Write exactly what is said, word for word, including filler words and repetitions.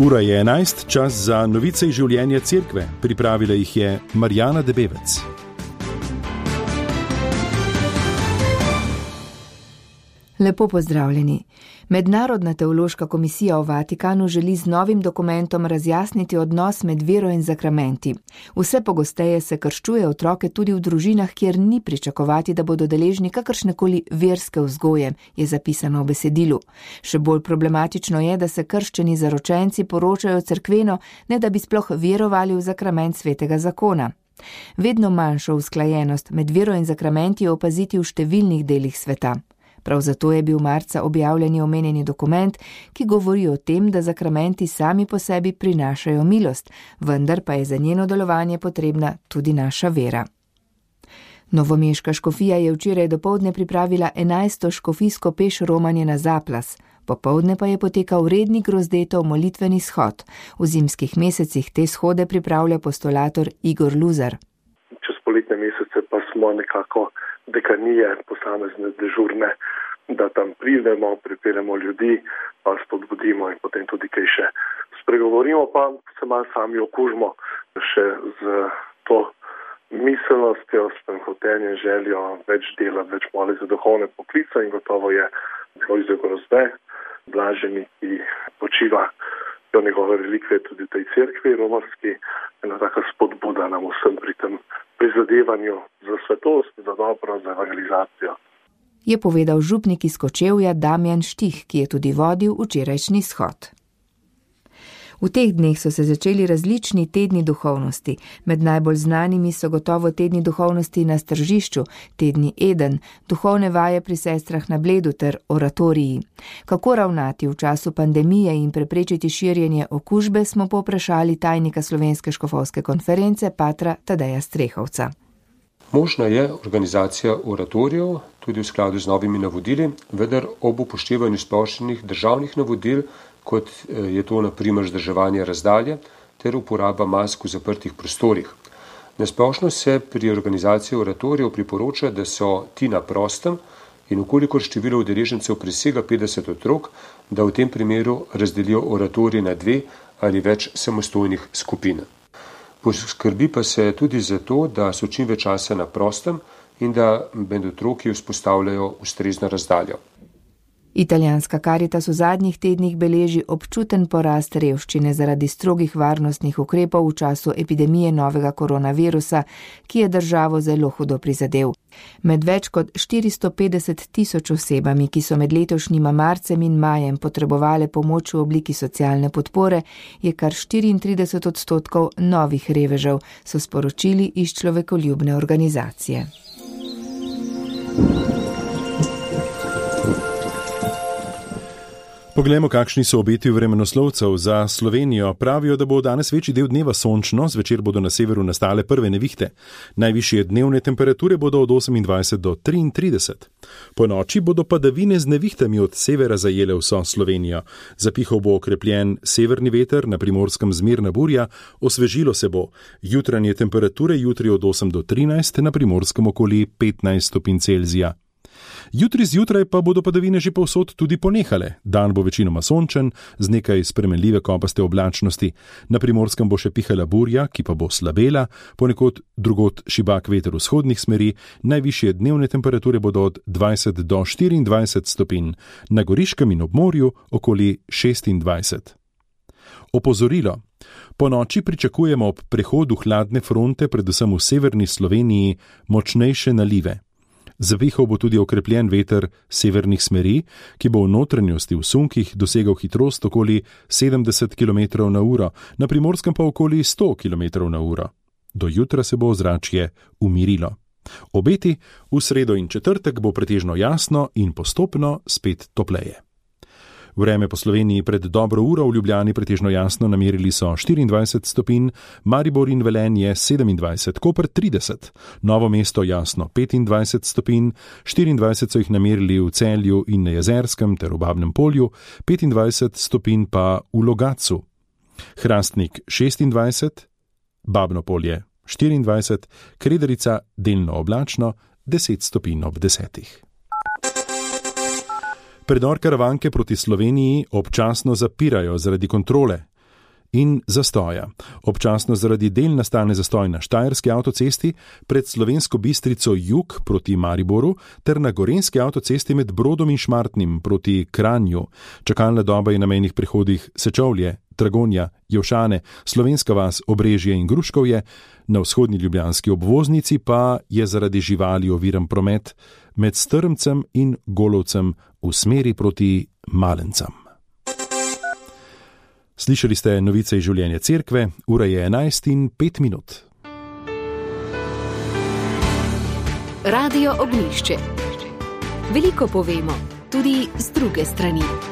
Ura je enajst, čas za novice iz življenja cerkve. Pripravila jih je Marjana Debevec. Lepo pozdravljeni. Mednarodna teološka komisija v Vatikanu želi z novim dokumentom razjasniti odnos med vero in zakramenti. Vse pogosteje se krščuje otroke tudi v družinah, kjer ni pričakovati, da bodo deležni kakršnekoli verske vzgoje, je zapisano v besedilu. Še bolj problematično je, da se krščeni zaročenci poročajo cerkveno, ne da bi sploh verovali v zakrament svetega zakona. Vedno manjšo usklajenost med vero in zakramenti je opaziti v številnih delih sveta. Prav zato je bil marca objavljeni omenjeni dokument, ki govori o tem, da zakramenti sami po sebi prinašajo milost, vendar pa je za njeno delovanje potrebna tudi naša vera. Novomeška škofija je včeraj dopoldne pripravila enajsto škofijsko peš romanje na Zaplas. Popoldne pa je potekal redni grozdetov molitveni shod. V zimskih mesecih te shode pripravlja postulator Igor Luzar. Čez poletne mesece pa smo nekako dekanije, posamezne dežurne, da tam pridemo, pripeljemo ljudi, pa spodbudimo in potem tudi kaj še spregovorimo, pa se malo sami okužimo še z to miselnostjo, s tem hotenjem, željo, več dela, več moli za duhovne poklice in gotovo je Lojze Grozde, blaženi, ki počiva do njegove relikve tudi v tej cerkvi romarski, ena taka spodbuda nam vsem pri tem prizadevanju za svetost, za dobro, za evangelizacijo. Je povedal župnik iz Kočevja Damjan Štih, ki je tudi vodil včerajšnji shod. V teh dneh so se začeli različni tedni duhovnosti. Med najbolj znanimi so gotovo tedni duhovnosti na Stržišču, tedni Eden, duhovne vaje pri sestrah na Bledu ter oratoriji. Kako ravnati v času pandemije in preprečiti širjenje okužbe, smo povprašali tajnika Slovenske škofovske konference patra Tadeja Strehovca. Možna je organizacija oratorijev, tudi v skladu z novimi navodili, vendar ob upoštevanju splošnih državnih navodil, kot je to na primer vzdrževanje razdalje ter uporaba mask v zaprtih prostorih. Nasplošno se pri organizaciji oratorijev priporoča, da so ti na prostem in ukolikor število udeležencev presega petdeset otrok, da v tem primeru razdelijo oratorije na dve ali več samostojnih skupin. Poskrbi pa se tudi za to, da so čim več časa na prostem in da med otroki vzpostavljajo ustrezno razdaljo. Italijanska Karitas v zadnjih tednih beleži občuten porast revščine zaradi strogih varnostnih ukrepov v času epidemije novega koronavirusa, ki je državo zelo hudo prizadel. Med več kot štiristo petdeset tisoč osebami, ki so med letošnjima marcem in majem potrebovale pomoč v obliki socialne podpore, je kar štiriintrideset odstotkov novih revežev, so sporočili iz človekoljubne organizacije. Poglejmo, kakšni so obeti vremenoslovcev za Slovenijo. Pravijo, da bo danes večji del dneva sončno, zvečer bodo na severu nastale prve nevihte. Najvišje dnevne temperature bodo od osemindvajset do triintrideset. Po noči bodo padavine z nevihtami od severa zajele vso Slovenijo. Zapihal bo okrepljen severni veter, na Primorskem zmerna burja, osvežilo se bo. Jutranje temperature jutri od osem do trinajst, na Primorskem okoli petnajst stopinj Celzija. Jutri zjutraj pa bodo padavine že povsod tudi ponehale. Dan bo večinoma sončen, z nekaj spremenljive kopaste oblačnosti. Na Primorskem bo še pihala burja, ki pa bo slabela, ponekod drugod šibak veter vzhodnih smeri, najvišje dnevne temperature bodo od dvajset do štiriindvajset stopinj, na Goriškem in ob morju okoli šestindvajset. Opozorilo. Po noči pričakujemo ob prehodu hladne fronte, predvsem v severni Sloveniji, močnejše nalive. Zavihal bo tudi okrepljen veter severnih smeri, ki bo v notranjosti v sunkih dosegal hitrost okoli sedemdeset kilometrov na uro, na Primorskem pa okoli sto kilometrov na uro. Do jutra se bo ozračje umirilo. Obeti v sredo in četrtek bo pretežno jasno in postopno spet topleje. Vreme po Sloveniji pred dobro uro v Ljubljani pretežno jasno namerili so štiriindvajset stopinj, Maribor in Velenje sedemindvajset, Koper trideset, Novo mesto jasno petindvajset stopinj, štiriindvajset so jih namerili v Celju in na Jezerskem ter v Babnem Polju, petindvajset stopinj pa v Logatcu. Hrastnik šestindvajset, Babno Polje štiriindvajset, Kredarica delno oblačno deset stopinj ob desetih. Predor Karavanke proti Sloveniji občasno zapirajo zaradi kontrole. in zastoja. Občasno zaradi del nastane zastoj na Štajerski avtocesti pred Slovensko Bistrico jug proti Mariboru ter na Gorenjski avtocesti med Brodom in Šmartnim proti Kranju. Čakalna doba je na mejnih prehodih Sečovlje, Dragonja, Jevšane, Slovenska vas, Obrežje in Gruškovje, na vzhodni ljubljanski obvoznici pa je zaradi živali oviran promet med Strmcem in Golovcem v smeri proti Malencam. Slišali ste novice iz življenja cerkve, ura je enajst in pet minut. Radio Ognjišče. Veliko povemo, tudi z druge strani.